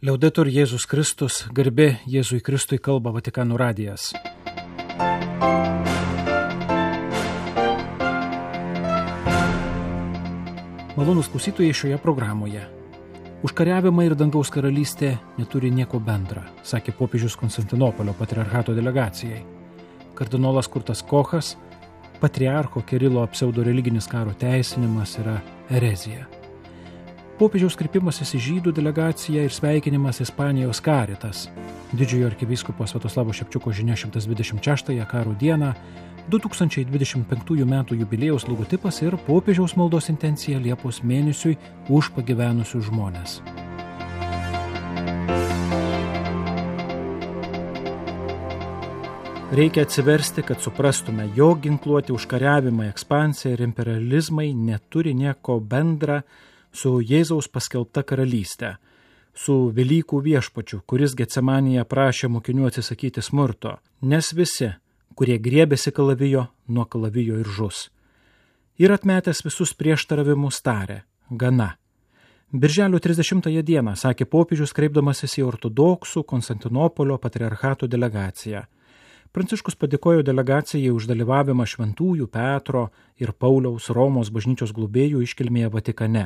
Liaudetur Jėzus Kristus, garbė Jėzui Kristui, kalba Vatikano radijas. Malonūs klausytojai šioje programoje. Užkariavimai ir dangaus karalystė neturi nieko bendra, sakė popiežius Konstantinopolio patriarchato delegacijai. Kardinolas Kurtas Kochas, patriarcho Kirilo pseudoreliginis karo teisinimas yra erezija. Popiežiaus kreipimasis į žydų delegaciją ir sveikinimas Ispanijos Caritas. Didžiojo arkivyskupo Sviatoslavo Šepčiuko žinia 126-ąją karo dieną, 2025 metų jubiliejaus logotipas ir popiežiaus maldos intencija Liepos mėnesiui už pagyvenusius žmones. Reikia atsiversti, kad suprastume, jog ginkluoti užkariavimai, ekspansija ir imperializmai neturi nieko bendra su Jėzaus paskelbta karalystė, su Velykų viešpačiu, kuris Getsemanėje prašė mokinių atsisakyti smurto, nes visi, kurie griebėsi kalavijo, nuo kalavijo ir žus. Ir atmetęs visus prieštaravimus tarė, gana. Birželio 30 dieną, sakė popiežius, kreipdamasis į ortodoksų Konstantinopolio patriarchato delegaciją. Pranciškus padėkojo delegacijai už dalyvavimą Šventųjų Petro ir Pauliaus Romos bažnyčios globėjų iškilmėje Vatikane.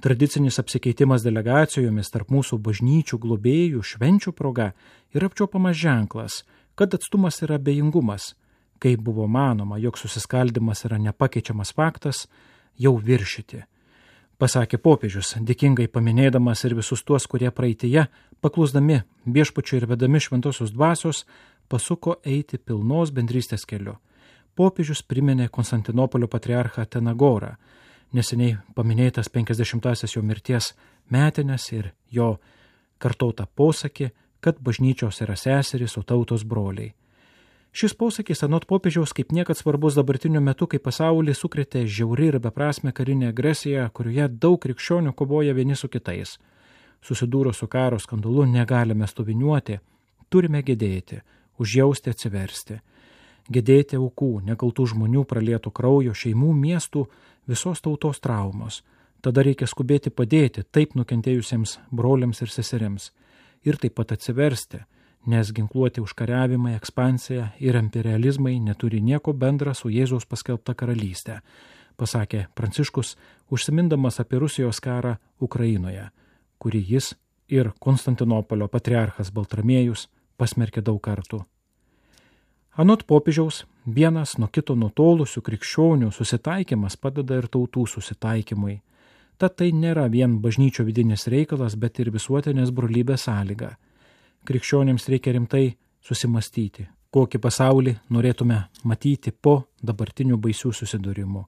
Tradicinis apsikeitimas delegacijomis tarp mūsų bažnyčių globėjų švenčių proga yra apčiuopiamas ženklas, kad atstumas yra abejingumas. Kai buvo manoma, jog susiskaldimas yra nepakeičiamas faktas, jau viršyti. Pasakė popiežius, dėkingai paminėdamas ir visus tuos, kurie praeityje, paklusdami viešpačiui ir vedami šventosios dvasios, pasuko eiti pilnos bendrystės keliu. Popiežius priminė Konstantinopolio patriarchą Atenagorą, neseniai paminėtas 50-asias jo mirties metinės ir jo kartotą posakį, kad bažnyčios yra seserys, o tautos broliai. Šis posakis anot popiežiaus kaip niekad svarbus dabartiniu metu, kai pasaulį sukrėtė žiauri ir beprasmė karinė agresija, kurioje daug krikščionių kovoja vieni su kitais. Susidūrus su karo skandalu negalime stoviniuoti, turime gedėti, užjausti, atsiversti. Gedėti aukų, nekaltų žmonių pralieto kraujo, šeimų, miestų, visos tautos traumos. Tada reikia skubėti padėti taip nukentėjusiems broliams ir seserims. Ir taip pat atsiversti, nes ginkluoti užkariavimai, ekspansija ir imperializmai neturi nieko bendra su Jėzaus paskelbta karalystė, pasakė Pranciškus, užsimindamas apie Rusijos karą Ukrainoje, kurį jis ir Konstantinopolio patriarchas Baltramiejus pasmerkė daug kartų. Anot popiežiaus, vienas nuo kito nutolusių krikščionių susitaikymas padeda ir tautų susitaikymui. Tad tai nėra vien bažnyčio vidinis reikalas, bet ir visuotinės brolybės sąlyga. Krikščionims reikia rimtai susimastyti, kokį pasaulį norėtume matyti po dabartinių baisių susidūrimų,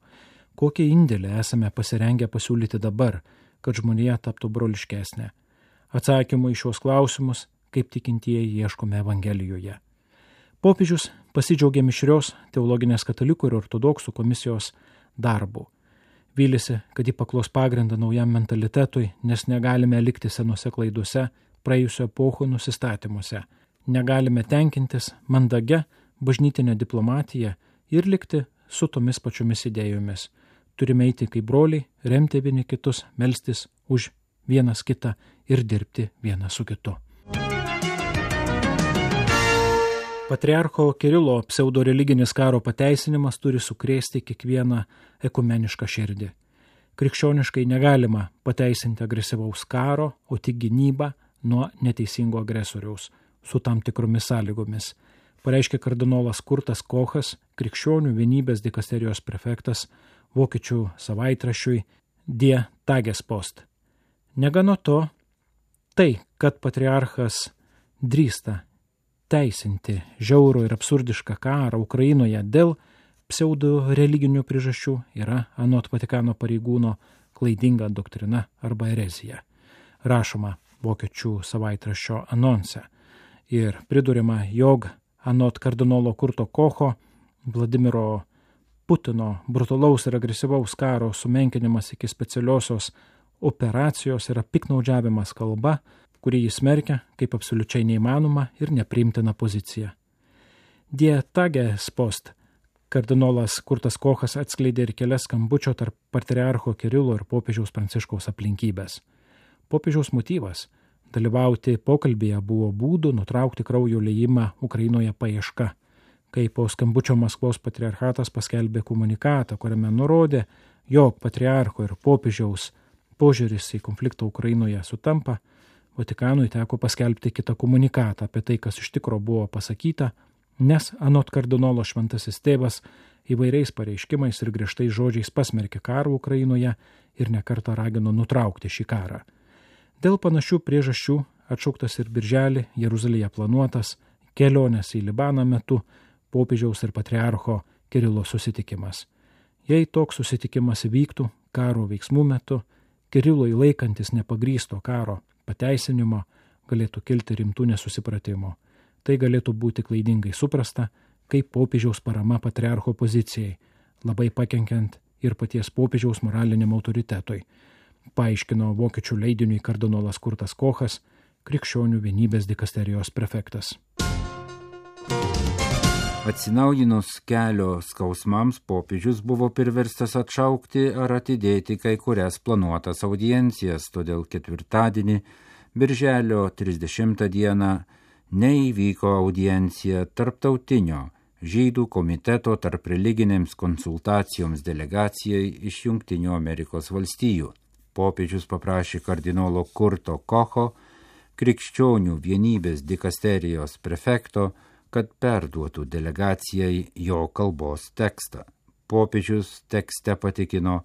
kokį indėlį esame pasirengę pasiūlyti dabar, kad žmonija taptų broliškesnė. Atsakymų į šios klausimus, kaip tikintieji, ieškome Evangelijoje. Popiežius pasidžiaugė mišrios teologinės katalikų ir ortodoksų komisijos darbu. Vylėsi, kad jį paklos pagrindą naujam mentalitetui, nes negalime likti senose klaidose, praėjusio epochų nusistatymuose. Negalime tenkintis mandagia bažnytinė diplomatija ir likti su tomis pačiomis idėjomis. Turime eiti kaip broliai, remti vieni kitus, melstis už vienas kitą ir dirbti vienas su kitu. Patriarcho Kirilo pseudoreliginis karo pateisinimas turi sukrėsti kiekvieną ekumenišką širdį. Krikščioniškai negalima pateisinti agresyvaus karo, o tik gynybą nuo neteisingo agresoriaus su tam tikromis sąlygomis, pareiškė kardinolas Kurtas Kochas, krikščionių vienybės dikasterijos prefektas, vokiečių savaitraščiui Die Tagespost. Negana to, tai, kad patriarchas drįsta teisinti žiaurų ir absurdišką karą Ukrainoje dėl pseudo religinių priežasčių yra anot Vatikano pareigūno klaidinga doktrina arba erezija. Rašoma vokiečių savaitraščio anonse ir priduriama, jog anot kardinolo Kurto Kocho Vladimiro Putino brutalaus ir agresyvaus karo sumenkinimas iki specialiosios operacijos yra piknaudžiavimas kalba, kurį jis smerkia kaip absoliučiai neįmanoma ir nepriimtina pozicija. Die Tagespost kardinolas Kurtas Kochas atskleidė ir kelias skambučio tarp patriarcho Kirilo ir popiežiaus Pranciškaus aplinkybės. Popiežiaus motyvas dalyvauti pokalbėje buvo būdų nutraukti kraujo liejimą Ukrainoje paieška, kai po skambučio Maskvos patriarchatas paskelbė komunikatą, kuriame nurodė, jog patriarcho ir popiežiaus požiūris į konfliktą Ukrainoje sutampa, Vatikanui teko paskelbti kitą komunikatą apie tai, kas iš tikro buvo pasakyta, nes anot kardinolo Šventasis Tėvas įvairiais pareiškimais ir griežtais žodžiais pasmerkė karą Ukrainoje ir nekartą ragino nutraukti šį karą. Dėl panašių priežasčių atšauktas ir birželį Jeruzalėje planuotas kelionės į Libaną metu popiežiaus ir patriarcho Kirilo susitikimas. Jei toks susitikimas įvyktų karo veiksmų metu, Kirilui laikantis nepagrysto karo pateisinimo galėtų kilti rimtų nesusipratimų. Tai galėtų būti klaidingai suprasta kaip popiežiaus parama patriarcho pozicijai, labai pakenkiant ir paties popiežiaus moraliniam autoritetui, paaiškino vokiečių leidiniui kardinolas Kurtas Kochas, krikščionių vienybės dikasterijos prefektas. Atsinaujinus kelio skausmams popiežius buvo priverstas atšaukti ar atidėti kai kurias planuotas audiencijas, todėl ketvirtadienį, birželio 30 dieną, neįvyko audiencija tarptautinio žydų komiteto tarp religinėms konsultacijoms delegacijai iš Jungtinių Amerikos valstijų. Popiežius paprašė kardinolo Kurto Kocho, krikščionių vienybės dikasterijos prefekto, kad perduotų delegacijai jo kalbos tekstą. Popiežius tekste patikino,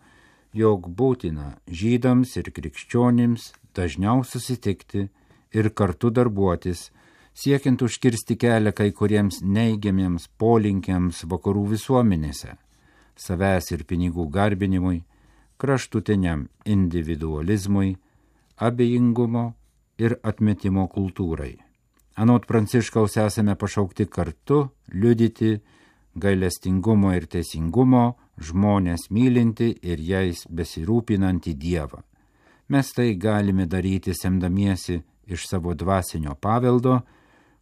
jog būtina žydams ir krikščionims dažniau susitikti ir kartu darbuotis, siekiant užkirsti kelią kai kuriems neigiamiems polinkiams vakarų visuomenėse, savęs ir pinigų garbinimui, kraštutiniam individualizmui, abejingumo ir atmetimo kultūrai. Anot Pranciškaus esame pašaukti kartu liudyti gailestingumo ir teisingumo, žmonės mylinti ir jais besirūpinantį Dievą. Mes tai galime daryti semdamiesi iš savo dvasinio paveldo,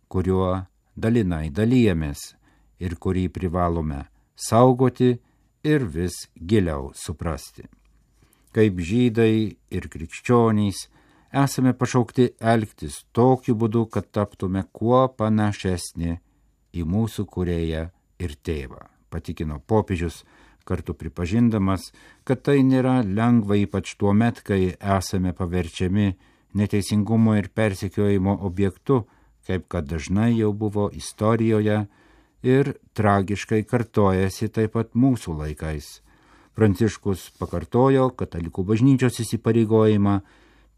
kuriuo dalinai dalijamės ir kurį privalome saugoti ir vis giliau suprasti. Kaip žydai ir krikščionys esame pašaukti elgtis tokiu būdu, kad taptume kuo panašesni į mūsų kūrėją ir tėvą, patikino popiežius, kartu pripažindamas, kad tai nėra lengva ypač tuo met, kai esame paverčiami neteisingumo ir persekiojimo objektu, kaip kad dažnai jau buvo istorijoje ir tragiškai kartojasi taip pat mūsų laikais. Pranciškus pakartojo katalikų bažnyčios įsipareigojimą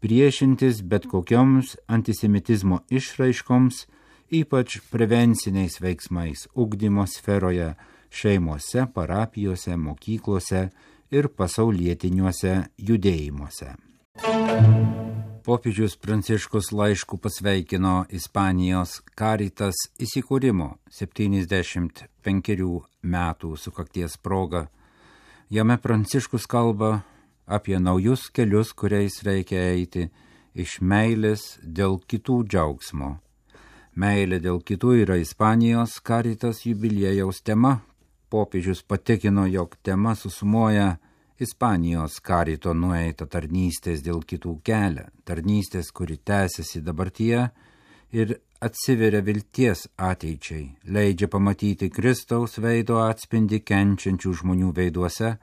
priešintis bet kokioms antisemitizmo išraiškoms, ypač prevenciniais veiksmais ugdymo sferoje, šeimose, parapijose, mokyklose ir pasaulietiniuose judėjimuose. Popiežius Pranciškus laišku pasveikino Ispanijos Caritas įsikūrimo 75 metų sukakties proga. Jame Pranciškus kalba apie naujus kelius, kuriais reikia eiti iš meilės dėl kitų džiaugsmo. Meilė dėl kitų yra Ispanijos Caritas jubiliejaus tema. Popiežius patikino, jog tema susumuoja Ispanijos Carito nueitą tarnystės dėl kitų kelią, tarnystės, kuri tęsiasi dabartyje ir atsiveria vilties ateičiai, leidžia pamatyti Kristaus veido atspindį kenčiančių žmonių veiduose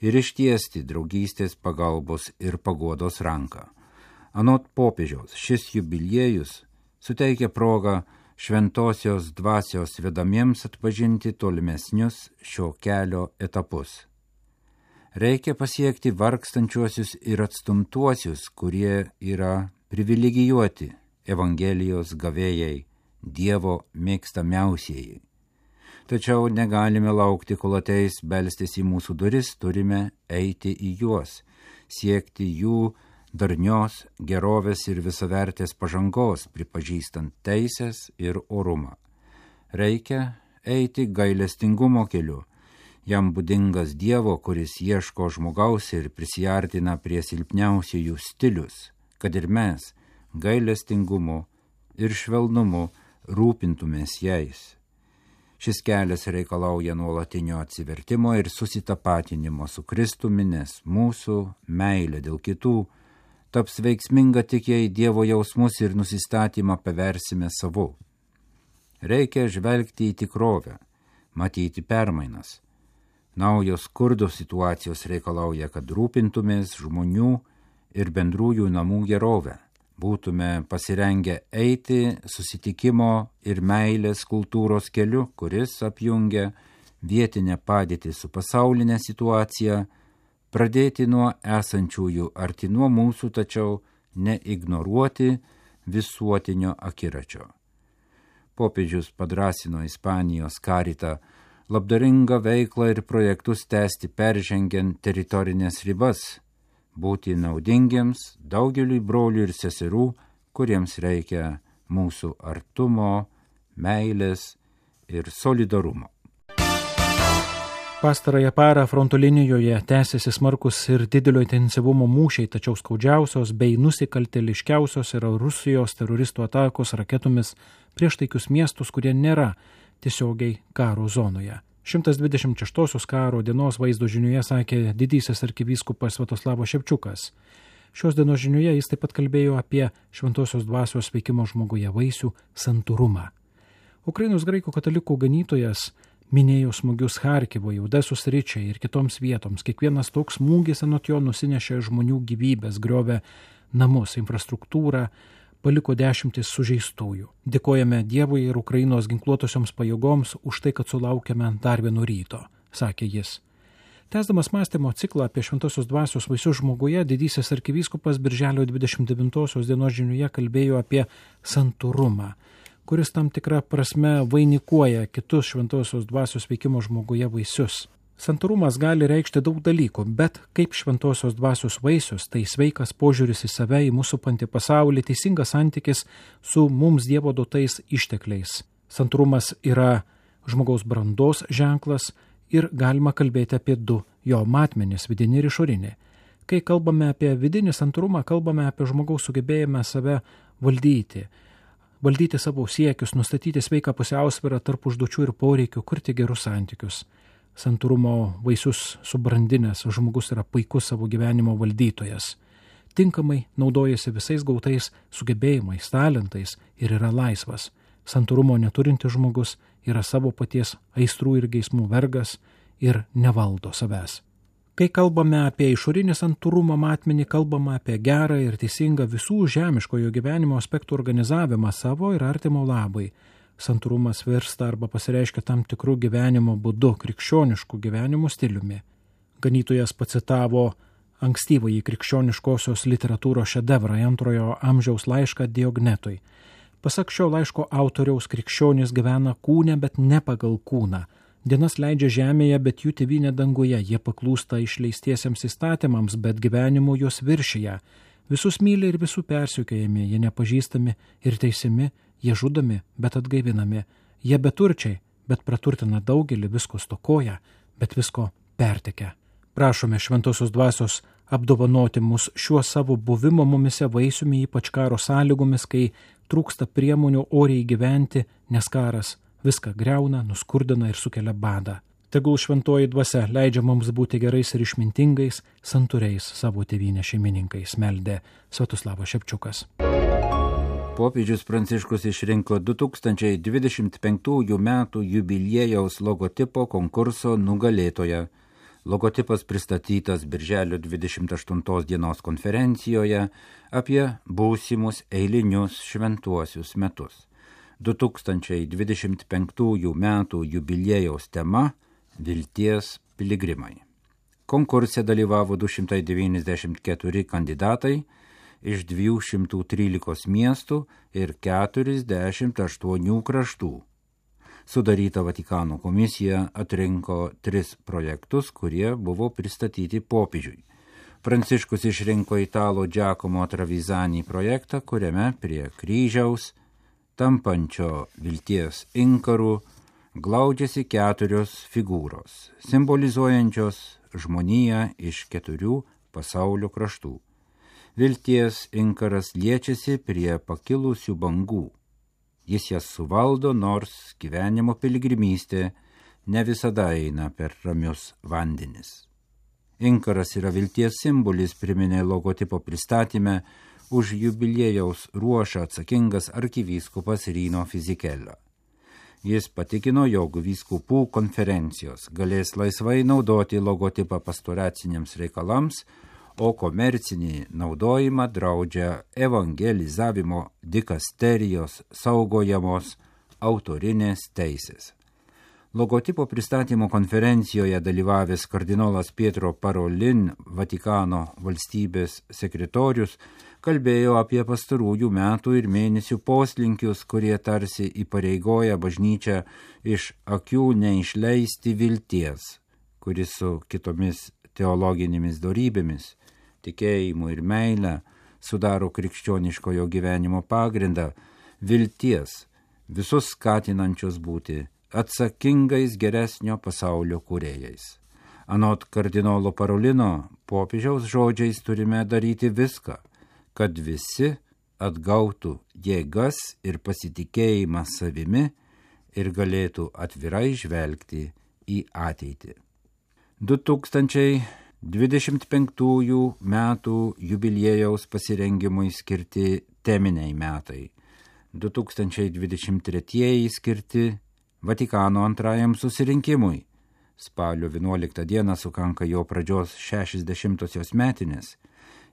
ir ištiesti draugystės, pagalbos ir paguodos ranką. Anot popiežiaus, šis jubiliejus suteikia progą šventosios dvasios vedamiems atpažinti tolimesnius šio kelio etapus. Reikia pasiekti vargstančiuosius ir atstumtuosius, kurie yra privilegijuoti Evangelijos gavėjai, Dievo mėgstamiausieji. Tačiau negalime laukti, kol ateis belstis į mūsų duris, turime eiti į juos, siekti jų darnios, gerovės ir visavertės pažangos, pripažįstant teisės ir orumą. Reikia eiti gailestingumo keliu, jam būdingas Dievo, kuris ieško žmogaus ir prisiartina prie silpniausiųjų stilius, kad ir mes gailestingumu ir švelnumu rūpintumės jais. Šis kelias reikalauja nuolatinio atsivertimo ir susitapatinimo su Kristumi, nes mūsų meilė dėl kitų taps veiksminga tik jei Dievo jausmus ir nusistatymą paversime savu. Reikia žvelgti į tikrovę, matyti permainas. Naujos skurdo situacijos reikalauja, kad rūpintumės žmonių ir bendrųjų namų gerovę. Būtume pasirengę eiti susitikimo ir meilės kultūros keliu, kuris apjungia vietinę padėtį su pasaulinė situacija, pradėti nuo esančiųjų arti nuo mūsų, tačiau neignoruoti visuotinio akiračio. Popiežius padrąsino Ispanijos karitą labdaringą veiklą ir projektus tęsti peržengiant teritorinės ribas, būti naudingiems daugeliui brolių ir seserų, kuriems reikia mūsų artumo, meilės ir solidarumo. Pastarąją parą fronto linijoje tęsiasi smarkus ir didelio intensyvumo mūšiai, tačiau skaudžiausios bei nusikaltėliškiausios yra Rusijos teroristų atakos raketomis prieš taikius miestus, kurie nėra tiesiogiai karo zonoje. 126 karo dienos vaizdo žinioje sakė didysis arkivyskupas Sviatoslavas Ševčiukas. Šios dienos žinioje jis taip pat kalbėjo apie šventosios dvasios veikimo žmoguje vaisių santūrumą. Ukrainos graikų katalikų ganytojas minėjo smūgius Charkivui, Odesos sričiai ir kitoms vietoms. Kiekvienas toks smūgis anot jo nusinešė žmonių gyvybės, griovė namus, infrastruktūrą, paliko dešimtis sužeistųjų. Dėkojame Dievui ir Ukrainos ginkluotosioms pajėgoms už tai, kad sulaukėme dar vieno ryto, sakė jis. Tęsdamas mąstymo ciklą apie šventosios dvasios vaisius žmoguje, didysis arkivyskupas birželio 29 dienos žinioje kalbėjo apie santūrumą, kuris tam tikrą prasme vainikuoja kitus šventosios dvasios veikimo žmoguje vaisius. Santūrumas gali reikšti daug dalykų, bet kaip šventosios dvasios vaisius, tai sveikas požiūris į save, į mūsų supantį pasaulį, teisingas santykis su mums Dievo duotais ištekliais. Santūrumas yra žmogaus brandos ženklas ir galima kalbėti apie du jo matmenis, vidinį ir išorinį. Kai kalbame apie vidinį santūrumą, kalbame apie žmogaus sugebėjimą save valdyti savo siekius, nustatyti sveiką pusiausvyrą tarp užduočių ir poreikių, kurti gerus santykius. Santūrumo vaisius subrandinęs žmogus yra puikus savo gyvenimo valdytojas. Tinkamai naudojasi visais gautais sugebėjimais, talentais ir yra laisvas. Santūrumo neturintis žmogus yra savo paties aistrų ir geismų vergas ir nevaldo savęs. Kai kalbame apie išorinį santūrumo matmenį, kalbame apie gerą ir teisingą visų žemiškojo gyvenimo aspektų organizavimą savo ir artimo labai. Santūrumas virsta arba pasireiškia tam tikrų gyvenimo būdu, krikščioniškų gyvenimo stiliumi. Ganytojas pacitavo ankstyvąjį krikščioniškosios literatūros šedevrą 2 amžiaus laišką Diognetui. Pasak šio laiško autoriaus, krikščionys gyvena kūne, bet ne pagal kūną. Dienas leidžia žemėje, bet jų tėvynė danguje. Jie paklūsta išleistiesiems įstatymams, bet gyvenimu juos viršyje. Visus myli ir visų persekiojami, jie nepažįstami ir teisiami, jie žudomi, bet atgaivinami. Jie beturčiai, bet praturtina daugelį, visko stokoja, bet visko pertekia. Prašome šventosios dvasios apdovanoti mus šiuo savo buvimo mumise vaisiumi, ypač karo sąlygomis, kai trūksta priemonių oriai gyventi, nes karas viską greuna, nuskurdina ir sukelia badą. Tegul šventoji dvasia leidžia mums būti gerais ir išmintingais, santūriais savo tėvynės šeimininkais, meldė Sviatoslavas Ševčiukas. Popiežius Pranciškus išrinko 2025 metų jubiliejaus logotipo konkurso nugalėtoją. Logotipas pristatytas birželio 28 dienos konferencijoje apie būsimus eilinius šventuosius metus. 2025 metų jubiliejaus tema – Vilties piligrimai. Konkurse dalyvavo 294 kandidatai iš 213 miestų ir 48 kraštų. Sudaryta Vatikano komisija atrinko 3 projektus, kurie buvo pristatyti popiežiui. Pranciškus išrinko italo Giacomo Travisani projektą, kuriame prie kryžiaus tampančio vilties inkarų glaudžiasi 4 figūros, simbolizuojančios žmoniją iš 4 pasaulio kraštų. Vilties inkaras liečiasi prie pakilusių bangų. Jis jas suvaldo, nors gyvenimo piligrimystė ne visada eina per ramius vandenis. Inkaras yra vilties simbolis, priminė logotipo pristatyme už jubiliejaus ruošą atsakingas arkivyskupas Rino Fisichella. Jis patikino, jog vyskupų konferencijos galės laisvai naudoti logotipą pastoraciniams reikalams, o komercinį naudojimą draudžia evangelizavimo dikasterijos saugojamos autorinės teisės. Logotipo pristatymo konferencijoje dalyvavęs kardinolas Pietro Parolin, Vatikano valstybės sekretorius, kalbėjo apie pastarųjų metų ir mėnesių poslinkius, kurie tarsi įpareigoja bažnyčią iš akių neišleisti vilties, kuris su kitomis teologinėmis dorybėmis, tikėjimu ir meile sudaro krikščioniškojo gyvenimo pagrindą, vilties, visus skatinančios būti atsakingais geresnio pasaulio kūrėjais. Anot kardinolo Parolino, popiežiaus žodžiais turime daryti viską, kad visi atgautų jėgas ir pasitikėjimą savimi ir galėtų atvirai žvelgti į ateitį. 2025 metų jubiliejaus pasirengimui skirti teminiai metai, 2023 skirti Vatikano antrajam susirinkimui. Spalio 11 dieną sukanka jo pradžios 60-osios metinės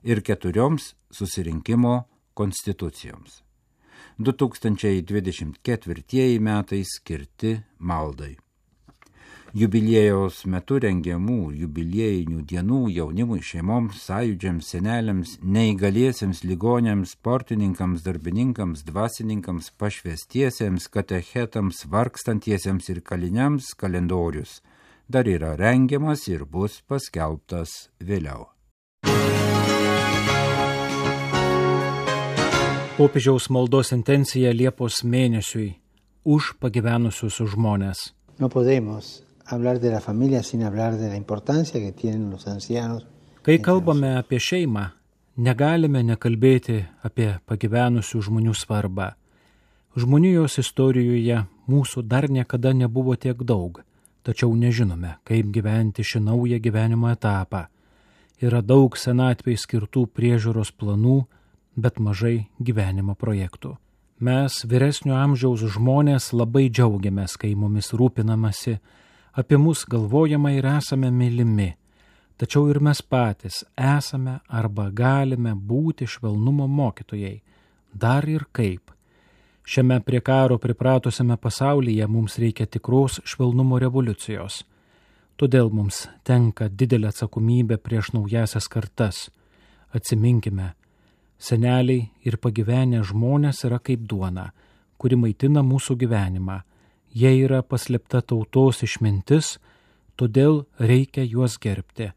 ir 4 susirinkimo konstitucijoms. 2024 metai skirti maldai. Jubiliejaus metu rengiamų jubiliejinių dienų jaunimui, šeimoms, sąjūdžiams, seneliams, neįgaliesiems, ligoniams, sportininkams, darbininkams, dvasininkams, pašvestiesiems, katechetams, vargstantiesiems ir kaliniams kalendorius dar yra rengiamas ir bus paskelbtas vėliau. Popiežiaus maldos intencija Liepos mėnesiui už pagyvenusius žmones. No podemos hablar de la familia sin hablar de la importancia que tienen los ancianos. Kai kalbame apie šeimą, negalime nekalbėti apie pagyvenusių žmonių svarbą. Žmonijos istorijoje mūsų dar niekada nebuvo tiek daug, tačiau nežinome, kaip gyventi šį naują gyvenimo etapą. Yra daug senatvei skirtų priežiūros planų, bet mažai gyvenimo projektų. Mes, vyresnio amžiaus žmonės, labai džiaugiamės, kai mumis rūpinamasi, apie mus galvojama ir esame mylimi. Tačiau ir mes patys esame arba galime būti švelnumo mokytojai. Dar ir kaip. Šiame prie karo pripratusiame pasaulyje mums reikia tikros švelnumo revoliucijos. Todėl mums tenka didelė atsakomybė prieš naujasias kartas. Atsiminkime, seneliai ir pagyvenę žmonės yra kaip duona, kuri maitina mūsų gyvenimą. Jie yra paslėpta tautos išmintis, todėl reikia juos gerbti.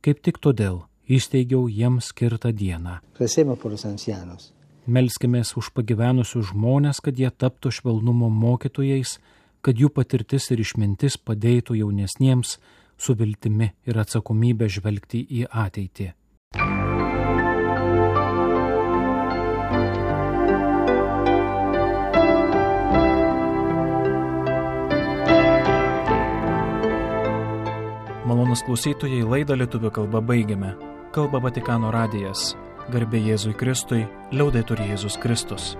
Kaip tik todėl įsteigiau jiems skirtą dieną. Melskimės už pagyvenusius žmonės, kad jie taptų švelnumo mokytojais, kad jų patirtis ir išmintis padėtų jaunesniems su viltimi ir atsakomybė žvelgti į ateitį. Malonūs klausytojai, laidą lietuvių kalba baigiame. Kalba Vatikano radijas. Garbė Jėzui Kristui, liaudetur Jėzus Kristus.